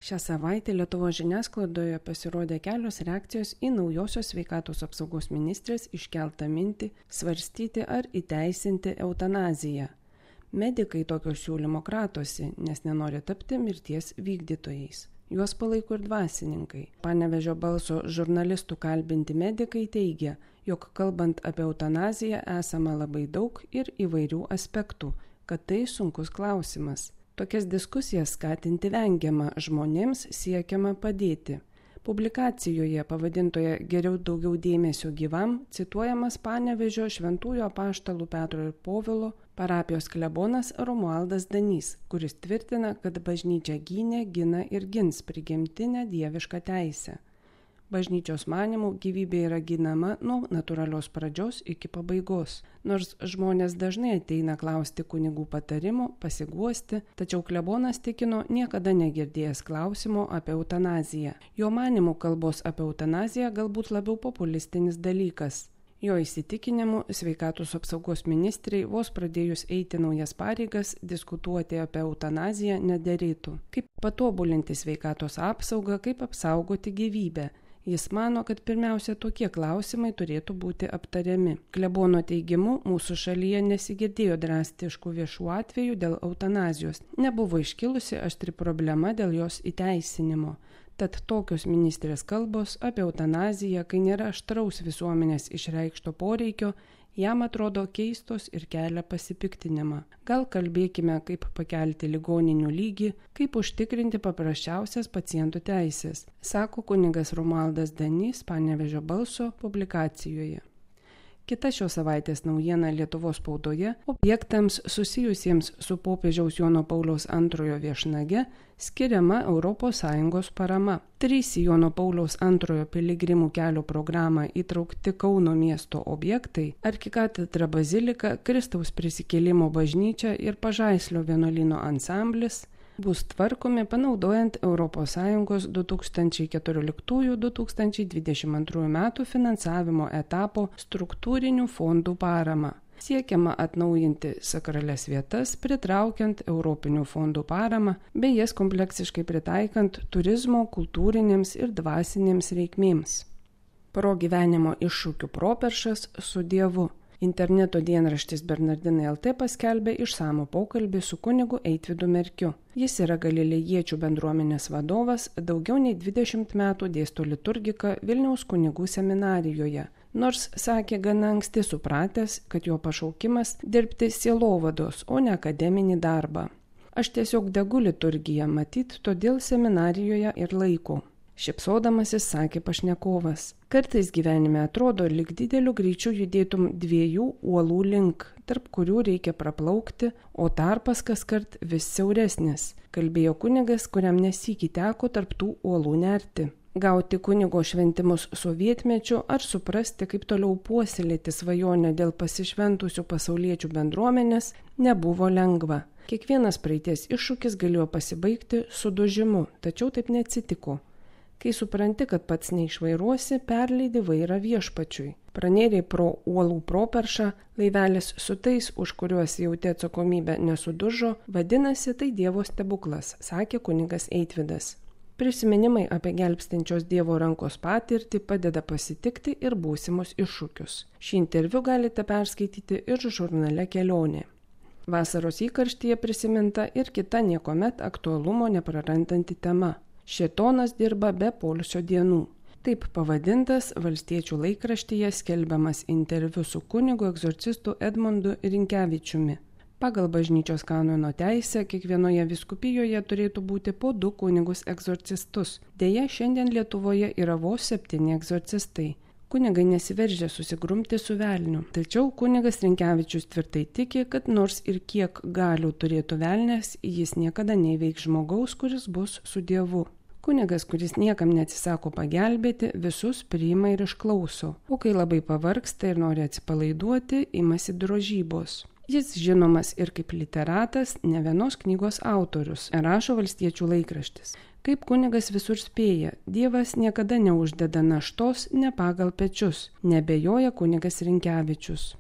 Šią savaitę Lietuvos žiniasklaidoje pasirodė kelios reakcijos į naujosios sveikatos apsaugos ministrės iškeltą mintį svarstyti ar įteisinti eutanaziją. Medikai tokio siūlymo kratosi, nes nenori tapti mirties vykdytojais. Juos palaiko ir dvasininkai. Panevėžio balso žurnalistų kalbinti medikai teigia, jog kalbant apie eutanaziją esama labai daug ir įvairių aspektų, kad tai sunkus klausimas. Tokias diskusijas skatinti vengiama, žmonėms siekiama padėti. Publikacijoje pavadintoje Geriau daugiau dėmesio gyvam cituojamas Panevėžio Šventųjų Apaštalų Petro ir Povilo parapijos klebonas Romualdas Danys, kuris tvirtina, kad bažnyčia gynė, gina ir gins prigimtinę dievišką teisę. Bažnyčios manymų gyvybė yra ginama nuo natūralios pradžios iki pabaigos. Nors žmonės dažnai ateina klausti kunigų patarimų, pasiguosti, tačiau klebonas tikino niekada negirdėjęs klausimo apie eutanaziją. Jo manymų kalbos apie eutanaziją galbūt labiau populistinis dalykas. Jo įsitikinimu, sveikatos apsaugos ministrei vos pradėjus eiti naujas pareigas, diskutuoti apie eutanaziją nederėtų. Kaip patobulinti sveikatos apsaugą, kaip apsaugoti gyvybę. Jis mano, kad pirmiausia tokie klausimai turėtų būti aptariami. Klebono teigimu, mūsų šalyje nesigirdėjo drastiškų viešų atvejų dėl eutanazijos. Nebuvo iškilusi aštri problema dėl jos įteisinimo. Tad tokios ministrės kalbos apie eutanaziją, kai nėra aštraus visuomenės išreikšto poreikio, jam atrodo keistos ir kelia pasipiktinimą. Gal kalbėkime, kaip pakelti ligoninių lygį, kaip užtikrinti paprasčiausias pacientų teisės, sako kunigas Romualdas Danys Panevėžio balso publikacijoje. Kita šios savaitės naujiena Lietuvos spaudoje objektams susijusiems su popiežiaus Jono Pauliaus II viešnage skiriama ES parama. 3 Jono Pauliaus II piligrimų kelio programą įtraukti Kauno miesto objektai – arkikatedra bazilika, Kristaus prisikėlimo bažnyčia ir Pažaislio vienuolyno ansamblis – bus tvarkomi panaudojant ES 2014-2022 metų finansavimo etapo struktūrinių fondų paramą. Siekiama atnaujinti sakralias vietas, pritraukiant europinių fondų paramą, bei jas kompleksiškai pritaikant turizmo, kultūrinėms ir dvasinėms reikmėms. Pro gyvenimo iššūkių properšas su Dievu. Interneto dienraštis Bernardinai LT paskelbė išsamų pokalbį su kunigu Eitvydu Merkiu. Jis yra galilėjiečių bendruomenės vadovas, daugiau nei 20 metų dėsto liturgiką Vilniaus kunigų seminarijoje, nors sakė gana anksti supratęs, kad jo pašaukimas dirbti sielovados, o ne akademinį darbą. Aš tiesiog degu liturgiją, matyt, todėl seminarijoje ir laiku. Šypsodamasis sakė pašnekovas. Kartais gyvenime atrodo, lyg dideliu greičiu judėtum 2 uolų link, tarp kurių reikia praplaukti, o tarpas kaskart vis siauresnis, kalbėjo kunigas, kuriam nesykį teko tarp tų uolų nerti. Gauti kunigo šventimus sovietmečiu ar suprasti, kaip toliau puoselėti svajonę dėl pasišventusių pasauliečių bendruomenės, nebuvo lengva. Kiekvienas praeities iššūkis galėjo pasibaigti sudužimu, tačiau taip neatsitiko. Kai supranti, kad pats neišvairuosi, perleidi vairą viešpačiui. Pranėrei pro uolų properšą, laivelis su tais, už kuriuos jauti atsakomybę, nesudužo, vadinasi, tai Dievo stebuklas, sakė kunigas Eitvydas. Prisiminimai apie gelbstinčios Dievo rankos patirtį padeda pasitikti ir būsimus iššūkius. Šį interviu galite perskaityti ir žurnale Kelionė. Vasaros įkarštyje prisiminta ir kita niekuomet aktualumo neprarandanti tema. Šėtonas dirba be poilsio dienų. Taip pavadintas Valstiečių laikraštyje skelbiamas interviu su kunigu egzorcistu Edmundu Rinkevičiumi. Pagal bažnyčios kanono teisę kiekvienoje vyskupijoje turėtų būti po 2 kunigus egzorcistus. Deja, šiandien Lietuvoje yra vos 7 egzorcistai. Kunigai nesiveržia susigrumti su velniu. Tačiau kunigas Rinkevičius tvirtai tiki, kad nors ir kiek galių turėtų velnias, jis niekada neįveiks žmogaus, kuris bus su Dievu. Kunigas, kuris niekam neatsisako pagelbėti, visus priima ir išklauso, o kai labai pavargsta ir nori atsipalaiduoti, imasi drožybos. Jis žinomas ir kaip literatas, ne vienos knygos autorius, rašo Valstiečių laikraštis. Kaip kunigas visur spėja, Dievas niekada neuždeda naštos ne pagal pečius, nebejoja kunigas Rinkevičius.